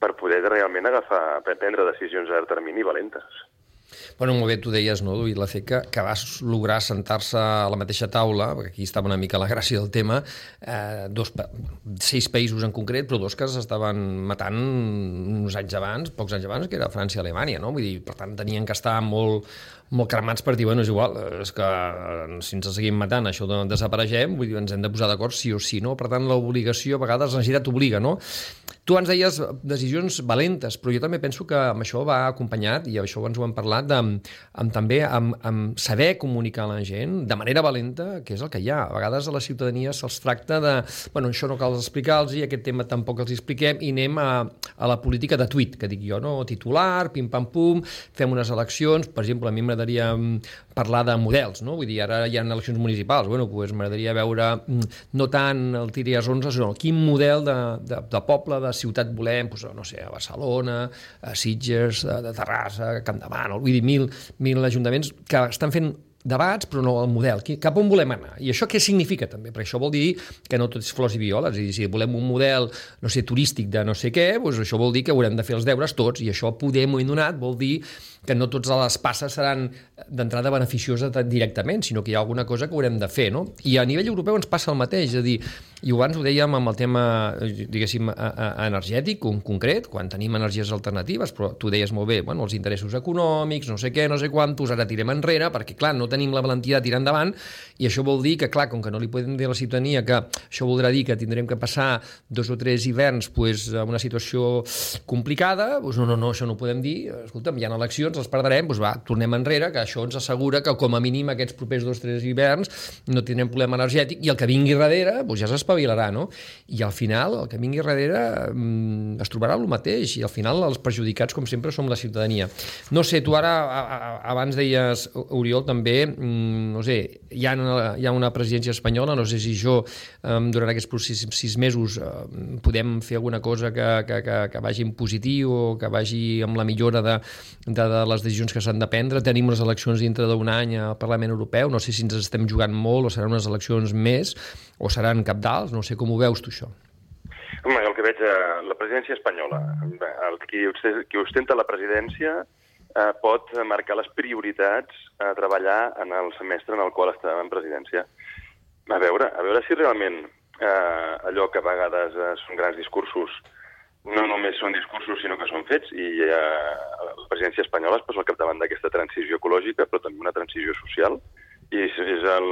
E: per poder realment agafar, prendre decisions a llarg termini valentes.
C: Bueno, molt bé, tu deies, no, Duit, la CECA, que va lograr sentar-se a la mateixa taula, perquè aquí estava una mica la gràcia del tema, eh, dos, sis països en concret, però dos que s'estaven matant uns anys abans, pocs anys abans, que era França i Alemanya, no? Vull dir, per tant, tenien que estar molt, molt cremats per dir, bueno, és igual, és que si ens seguim matant, això no desapareixem, vull dir, ens hem de posar d'acord sí o sí, no? Per tant, l'obligació, a vegades, la necessitat obliga, no? Tu ens deies decisions valentes, però jo també penso que amb això va acompanyat, i això ens ho hem parlat, de, amb, també amb, amb saber comunicar a la gent de manera valenta, que és el que hi ha. A vegades a la ciutadania se'ls tracta de, bueno, això no cal explicar-los i aquest tema tampoc els expliquem i anem a, a la política de tuit, que dic jo, no? Titular, pim-pam-pum, fem unes eleccions, per exemple, a mi m'agradaria parlar de models, no? Vull dir, ara hi ha eleccions municipals, bueno, doncs m'agradaria veure no tant el tiri a onze, sinó quin model de, de, de poble, de ciutat volem, doncs, no sé, a Barcelona, a Sitges, de, de Terrassa, a Campdevànol, vull dir, mil, mil ajuntaments que estan fent debats, però no el model. Cap on volem anar? I això què significa, també? Perquè això vol dir que no tot és flors i violes. És a dir, si volem un model, no sé, turístic de no sé què, doncs això vol dir que haurem de fer els deures tots, i això poder, m'ho he donat, vol dir que no totes les passes seran d'entrada beneficioses directament, sinó que hi ha alguna cosa que haurem de fer, no? I a nivell europeu ens passa el mateix, és a dir, i abans ho dèiem amb el tema, diguéssim, energètic, en concret, quan tenim energies alternatives, però tu deies molt bé, bueno, els interessos econòmics, no sé què, no sé quantos, ara tirem enrere, perquè, clar, no tenim la valentia de tirar endavant, i això vol dir que, clar, com que no li podem dir a la ciutadania que això voldrà dir que tindrem que passar dos o tres hiverns pues, en una situació complicada, doncs no, no, no, això no ho podem dir, escolta'm, hi ha eleccions, els perdrem, doncs va, tornem enrere, que això ens assegura que com a mínim aquests propers dos o tres hiverns no tindrem problema energètic, i el que vingui darrere doncs ja s'espavilarà, no? I al final, el que vingui darrere mmm, es trobarà el mateix, i al final els perjudicats, com sempre, som la ciutadania. No sé, tu ara, a, a, abans deies, Oriol, també, mmm, no sé, hi ha, una, hi ha una presidència espanyola, no sé si jo, eh, durant aquests sis, sis mesos, eh, podem fer alguna cosa que, que, que, que vagi en positiu o que vagi amb la millora de, de, de les decisions que s'han de prendre. Tenim les eleccions dintre d'un any al Parlament Europeu, no sé si ens estem jugant molt o seran unes eleccions més o seran cabdals, no sé com ho veus tu això.
E: Home, el que veig a la presidència espanyola, el qui, qui ostenta la presidència eh, pot marcar les prioritats a treballar en el semestre en el qual està en presidència. A veure, a veure si realment eh, allò que a vegades eh, són grans discursos no només són discursos, sinó que són fets, i eh, la presidència espanyola es posa al capdavant d'aquesta transició ecològica, però també una transició social, i és, és el,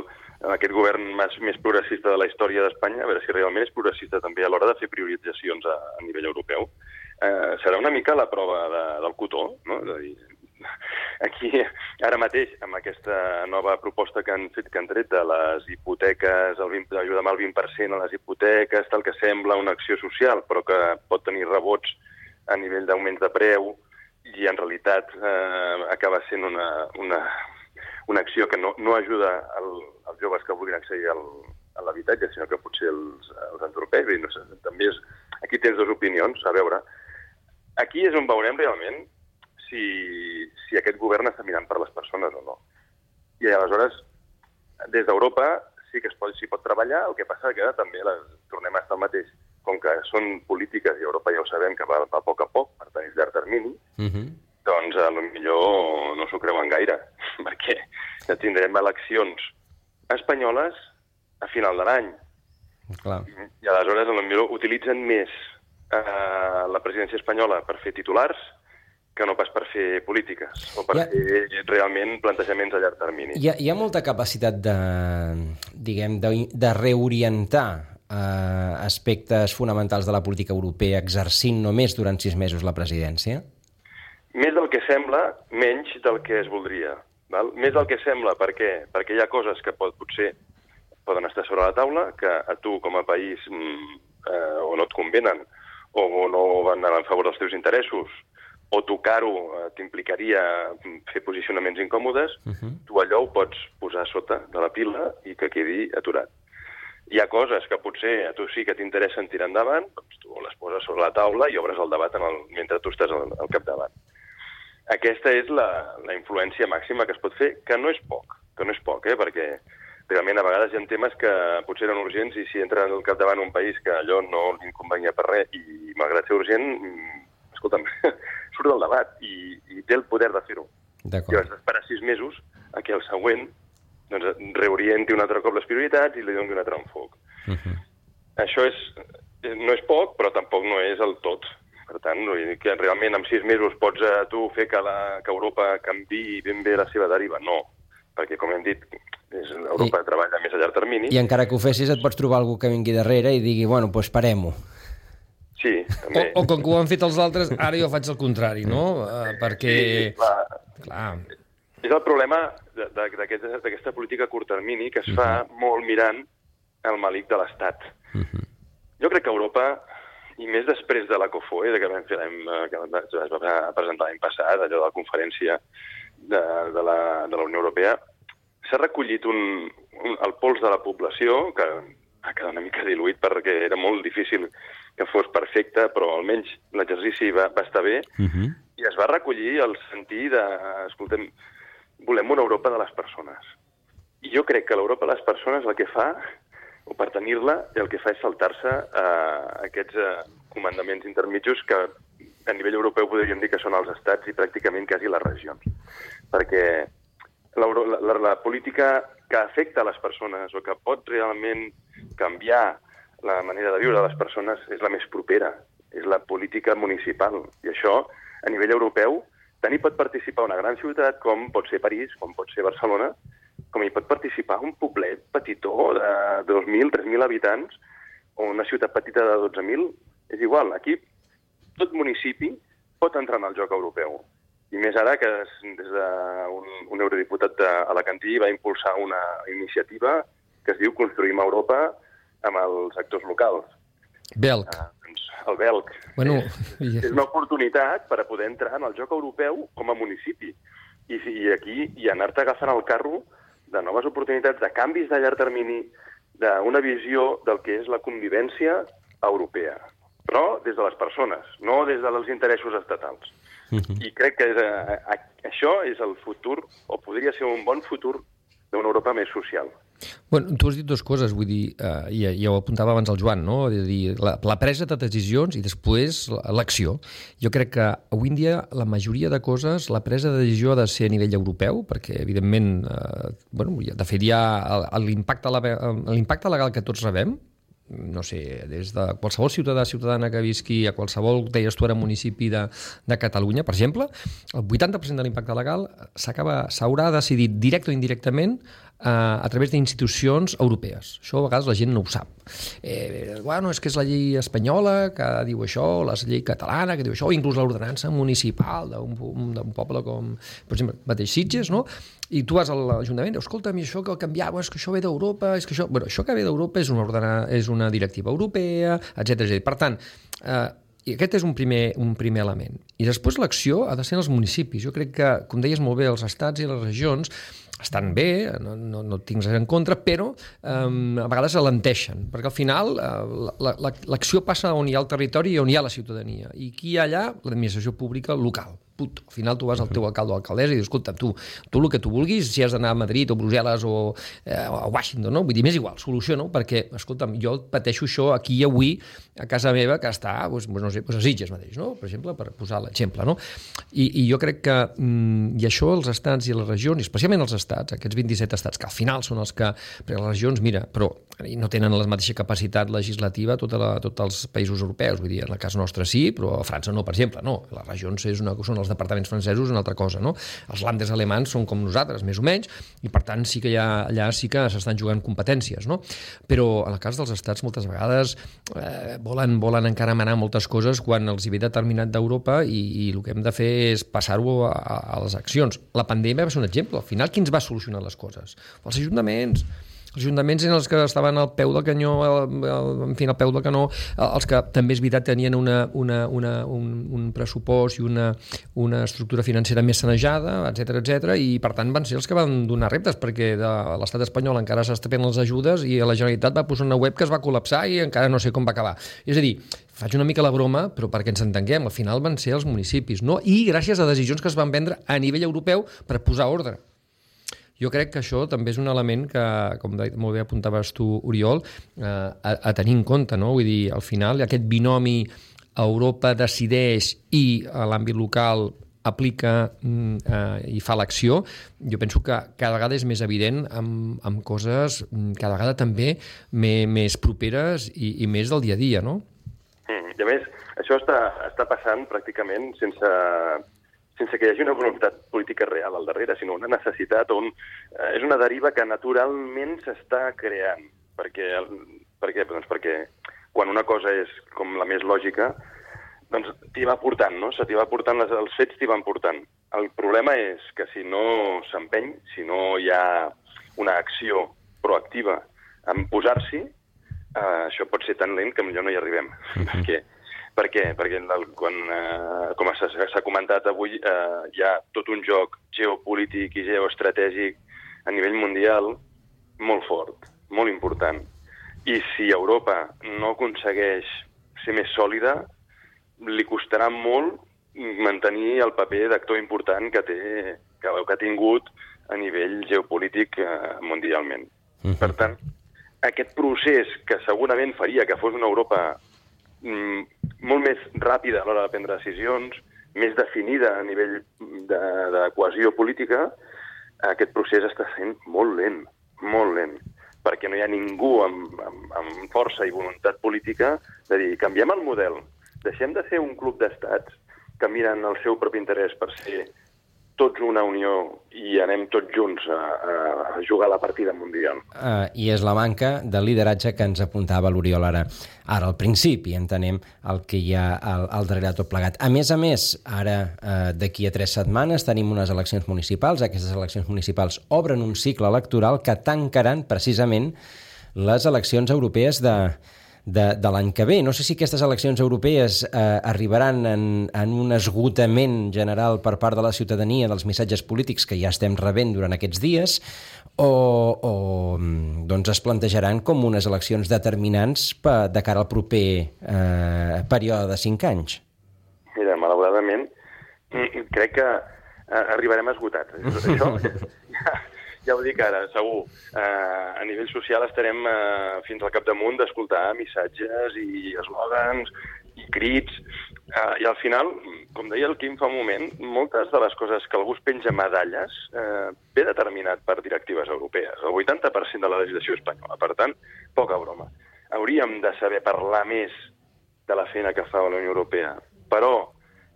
E: aquest govern més, més progressista de la història d'Espanya, a veure si realment és progressista també a l'hora de fer prioritzacions a, a nivell europeu. Eh, serà una mica la prova de, del cotó, no? És a dir, aquí, ara mateix, amb aquesta nova proposta que han fet, que han tret de les hipoteques, el vint, ajudar amb el vint per cent a les hipoteques, tal que sembla una acció social, però que pot tenir rebots a nivell d'augments de preu, i en realitat eh, acaba sent una, una, una acció que no, no ajuda el, els joves que vulguin accedir al, a l'habitatge, sinó que potser els, els entorpeix. No sé, també és, aquí tens dues opinions, a veure. Aquí és on veurem realment Si, si aquest govern està mirant per les persones o no. I aleshores, des d'Europa sí que es pot, s'hi pot treballar, el que passa que també les, tornem a estar el mateix. Com que són polítiques, i Europa ja ho sabem, que va, va a poc a poc, per tenir llarg termini, uh-huh. doncs potser no s'ho creuen gaire, perquè ja tindrem eleccions espanyoles a final de l'any.
B: Clar.
E: I, I aleshores potser utilitzen més eh, la presidència espanyola per fer titulars que no pas per fer polítiques o per ha, fer realment plantejaments a llarg termini.
B: Hi ha, hi ha molta capacitat de, diguem, de, de reorientar eh, aspectes fonamentals de la política europea exercint només durant sis mesos la presidència?
E: Més del que sembla, menys del que es voldria. Val? Més del que sembla, per què? Perquè hi ha coses que pot, potser poden estar sobre la taula, que a tu com a país eh, o no et convenen o no van anar en favor dels teus interessos, o tocar-ho eh, t'implicaria fer posicionaments incòmodes, uh-huh. tu allò ho pots posar sota de la pila i que quedi aturat. Hi ha coses que potser a tu sí que t'interessen tirar endavant, doncs tu les poses sobre la taula i obres el debat en el, mentre tu estàs al, al capdavant. Aquesta és la, la influència màxima que es pot fer, que no és poc, que no és poc, eh? Perquè realment a vegades hi ha temes que potser eren urgents i si entra al capdavant un país que allò no li inconvenia per res i malgrat ser urgent, escolta'm, surt del debat i, i té el poder de fer-ho. I vas esperar sis mesos a que el següent doncs, reorienti un altre cop les prioritats i li doni un altre enfoc. Uh-huh. Això és, no és poc, però tampoc no és el tot. Per tant, que realment en sis mesos pots a tu fer que, la, que Europa canviï ben bé la seva deriva? No, perquè com hem dit, és, Europa I, treballa més a llarg termini.
B: I encara que ho fessis et pots trobar algú que vingui darrere i digui, bueno, doncs parem-ho.
E: Sí, també.
C: O, o com que ho han fet els altres, ara jo faig el contrari, no? Uh, perquè... Sí, clar. clar.
E: És el problema d'aquesta política a curt termini que es fa uh-huh. molt mirant el malic de l'Estat. Uh-huh. Jo crec que Europa, i més després de la COFOE, que vam fer que es va presentar l'any passat, allò de la conferència de, de, la, de la Unió Europea, s'ha recollit un, un, el pols de la població, que ha quedat una mica diluït perquè era molt difícil que fos perfecte, però almenys l'exercici va, va estar bé,
B: Uh-huh.
E: i es va recollir el sentir de, escoltem, volem una Europa de les persones. I jo crec que l'Europa de les persones el que fa, o per tenir-la, el que fa és saltar-se eh, aquests eh, comandaments intermitjos que a nivell europeu podríem dir que són els estats i pràcticament quasi les regions. Perquè la, la, la política que afecta a les persones o que pot realment canviar la manera de viure de les persones és la més propera, és la política municipal. I això, a nivell europeu, tant hi pot participar una gran ciutat com pot ser París, com pot ser Barcelona, com hi pot participar un poblet petitó de dos mil, tres mil habitants o una ciutat petita de dotze mil. És igual, aquí tot municipi pot entrar en el joc europeu. I més ara que des d'un un eurodiputat alacantí va impulsar una iniciativa que es diu Construïm Europa amb els actors locals.
C: Belc.
E: Ah, doncs, el Belc.
C: Bueno,
E: és, és una oportunitat per a poder entrar en el joc europeu com a municipi. I, i aquí i anar-te agafant el carro de noves oportunitats, de canvis de llarg termini, d'una visió del que és la convivència europea. Però des de les persones, no des dels interessos estatals. Uh-huh. I crec que és, a, a, això és el futur, o podria ser un bon futur, d'una Europa més social.
C: Bueno, tu has dit dues coses, vull dir, eh, ja, ja ho apuntava abans el Joan, no? És a dir, la, la presa de decisions i després l'acció. Jo crec que avui en dia la majoria de coses, la presa de decisió ha de ser a nivell europeu, perquè evidentment, eh, bueno, de fet hi ha l'impacte legal que tots rebem, no sé, des de qualsevol ciutadà ciutadana que visqui a qualsevol, deies tu ara, municipi de, de Catalunya, per exemple, el vuitanta per cent de l'impacte legal s'acaba, s'haurà decidit directe o indirectament a través d'institucions europees. Això a vegades la gent no ho sap. Eh, bueno, és que és la llei espanyola que diu això, o la llei catalana que diu això, o inclús l'ordenança municipal d'un poble com, per exemple, mateix Sitges, no? I tu vas a l'Ajuntament i dius, escolta'm, això que canviava, és que això ve d'Europa, és que això... Bueno, això que ve d'Europa és una, ordena... és una directiva europea, etcètera etcètera. Per tant, eh, i aquest és un primer, un primer element. I després l'acció ha de ser en els municipis. Jo crec que, com deies molt bé, els estats i les regions estan bé, no, no, no tinc res en contra, però um, a vegades alenteixen, perquè al final uh, l'acció passa on hi ha el territori i on hi ha la ciutadania. I qui hi ha allà? L'administració pública local. Puto. Al final tu vas al teu alcalde o alcaldessa i dius, escolta, tu, tu el que tu vulguis, si has d'anar a Madrid o Brussel·les o eh, a Washington, no? Vull dir, m'és igual, soluciona, perquè, escolta'm, jo pateixo això aquí i avui a casa meva, que està, doncs, no sé, doncs a Sitges mateix, no? Per exemple, per posar l'exemple, no? I, I jo crec que, mm, i això els estats i les regions, i especialment els estats, aquests vint-i-set estats, que al final són els que, perquè les regions, mira, però no tenen la mateixa capacitat legislativa tots tot els països europeus, vull dir, en el cas nostre sí, però a França no, per exemple, no. Les regions és una, són els departaments francesos una altra cosa, no? Els landes alemans són com nosaltres, més o menys, i per tant sí que ha, allà sí que s'estan jugant competències, no? Però en el cas dels estats moltes vegades eh, volen, volen encara manar moltes coses quan els hi ve determinat d'Europa i, i el que hem de fer és passar-ho a, a les accions. La pandèmia va ser un exemple. Al final, qui ens va solucionar les coses? Els ajuntaments. Els ajuntaments eren els que estaven al peu del canyó, en fi, al peu del canó, els que també és veritat tenien una, una, una, un, un pressupost i una, una estructura financera més sanejada, etcètera etcètera, i per tant van ser els que van donar reptes, perquè de l'estat espanyol encara s'estaven les ajudes i la Generalitat va posar una web que es va col·lapsar i encara no sé com va acabar. És a dir, faig una mica la broma, però perquè ens entenguem, al final van ser els municipis, no? I gràcies a decisions que es van prendre a nivell europeu per posar ordre. Jo crec que això també és un element que, com molt bé apuntaves tu, Oriol, eh, a, a tenir en compte, no? Vull dir, al final, aquest binomi Europa decideix i a l'àmbit local aplica eh, i fa l'acció, jo penso que cada vegada és més evident amb, amb coses cada vegada també més, més properes i, i més del dia a dia, no?
E: Mm, I a més, això està, està passant pràcticament sense... sense que hi hagi una voluntat política real al darrere, sinó una necessitat o un, eh, és una deriva que naturalment s'està creant. Per què? Per què? Doncs perquè quan una cosa és com la més lògica, doncs t'hi va portant, no? Se t'hi va portant, les, els fets t'hi van portant. El problema és que si no s'empeny, si no hi ha una acció proactiva en posar-s'hi, eh, això pot ser tan lent que millor no hi arribem. Uh-huh. Perquè Per què? Perquè quan, eh, com s'ha comentat avui, eh, hi ha tot un joc geopolític i geoestratègic a nivell mundial molt fort, molt important. I si Europa no aconsegueix ser més sòlida, li costarà molt mantenir el paper d'actor important que, té, que, que ha tingut a nivell geopolític eh, mundialment. Uh-huh. Per tant, aquest procés que segurament faria que fos una Europa mm, molt més ràpida a l'hora de prendre decisions, més definida a nivell de, de cohesió política, aquest procés està sent molt lent, molt lent, perquè no hi ha ningú amb, amb, amb força i voluntat política de dir, canviem el model, deixem de ser un club d'estats que miren el seu propi interès per ser tots una unió i anem tots junts a, a jugar la partida mundial.
B: Uh, I és la manca de lideratge que ens apuntava l'Oriol ara, ara al principi, entenem el que hi ha al, al darrere tot plegat. A més a més, ara, uh, d'aquí a tres setmanes, tenim unes eleccions municipals. Aquestes eleccions municipals obren un cicle electoral que tancaran precisament les eleccions europees de de, de l'any que ve. No sé si aquestes eleccions europees eh, arribaran en, en un esgotament general per part de la ciutadania dels missatges polítics que ja estem rebent durant aquests dies o, o doncs es plantejaran com unes eleccions determinants per, de cara al proper eh, període de cinc anys.
E: Mira, malauradament, crec que eh, arribarem esgotats. Això ja, ja ho dic ara, segur. Eh, a nivell social estarem eh, fins al capdamunt d'escoltar missatges i eslògans i crits. Eh, I al final, com deia el Quim fa un moment, moltes de les coses que algú es penja medalles eh, ve determinat per directives europees. El vuitanta per cent de la legislació espanyola. Per tant, poca broma. Hauríem de saber parlar més de la feina que fa la Unió Europea. Però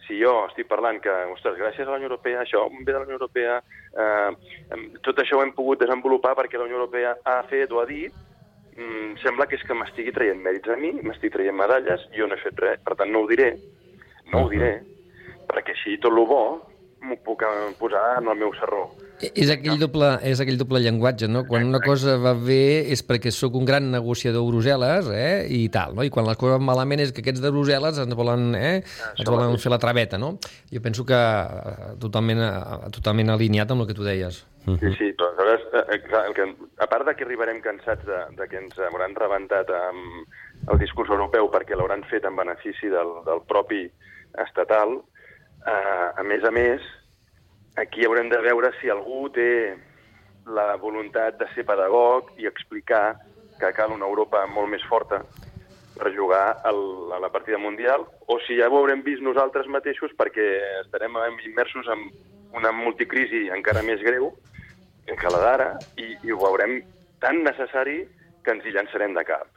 E: si jo estic parlant que, ostres, gràcies a la Unió Europea, això ve de la Unió Europea, eh, tot això ho hem pogut desenvolupar perquè la Unió Europea ha fet o ha dit, mm, sembla que és que m'estigui traient mèrits a mi, m'estic traient medalles, jo no he fet res. Per tant, no ho diré, no ho diré, perquè així tot el bo m'ho puc posar en el meu sarró.
C: És aquell doble, és aquell doble llenguatge, no? Quan una cosa va bé és perquè sóc un gran negociador a Brussel·les, eh? I tal, no? I quan les coses van malament és que aquests de Brussel·les ens volen, eh? ens volen fer la traveta, no? Jo penso que totalment, totalment alineat amb el que tu deies.
E: Sí, sí, però aleshores, el que, a part de que arribarem cansats de, de que ens hauran rebentat amb el discurs europeu perquè l'hauran fet en benefici del, del propi estatal, eh, a més a més, aquí haurem de veure si algú té la voluntat de ser pedagog i explicar que cal una Europa molt més forta per jugar el, a la partida mundial, o si ja ho haurem vist nosaltres mateixos perquè estarem immersos en una multicrisi encara més greu que la d'ara i, i ho veurem tan necessari que ens hi llançarem de cap.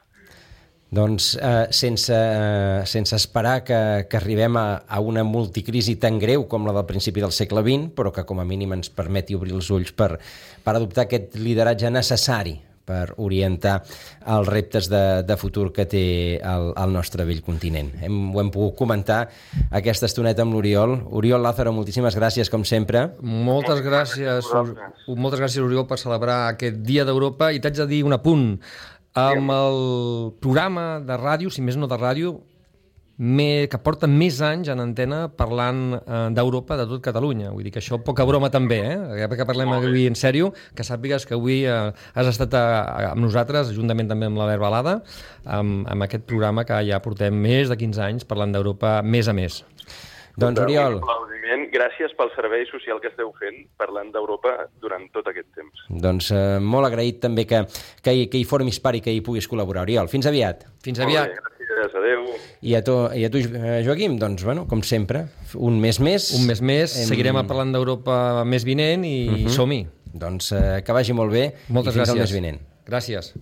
B: Doncs eh, sense, eh, sense esperar que, que arribem a, a una multicrisi tan greu com la del principi del segle vint, però que com a mínim ens permeti obrir els ulls per, per adoptar aquest lideratge necessari per orientar els reptes de, de futur que té el, el nostre vell continent. Hem, ho hem pogut comentar aquesta estoneta amb l'Oriol. Oriol Lázaro, moltíssimes gràcies, com sempre.
C: Moltes gràcies, moltes gràcies, Oriol, per celebrar aquest Dia d'Europa. I t'haig de dir un apunt. Amb el programa de ràdio, si més no de ràdio, me, que porta més anys en antena parlant eh, d'Europa de tot Catalunya. Vull dir que això poca broma també, eh? Que parlem avui en sèrio, que sàpigues que avui eh, has estat a, a, amb nosaltres, juntament també amb la Verbalada, amb, amb aquest programa que ja portem més de quinze anys parlant d'Europa més a més.
B: Doncs, Oriol...
E: Gràcies pel servei social que esteu fent parlant d'Europa durant tot aquest temps.
B: Doncs eh, molt agraït també que, que, hi, que hi formis part i que hi puguis col·laborar. Oriol, fins aviat.
C: Fins aviat.
E: Molt bé, gràcies, adéu.
B: I a tu, i a tu Joaquim, doncs, bueno, com sempre, un mes més.
C: Un mes més, hem... seguirem parlant d'Europa més vinent i uh-huh. som-hi.
B: Doncs eh, que vagi molt bé.
C: Moltes
B: i fins
C: gràcies.
B: al mes vinent.
C: Gràcies.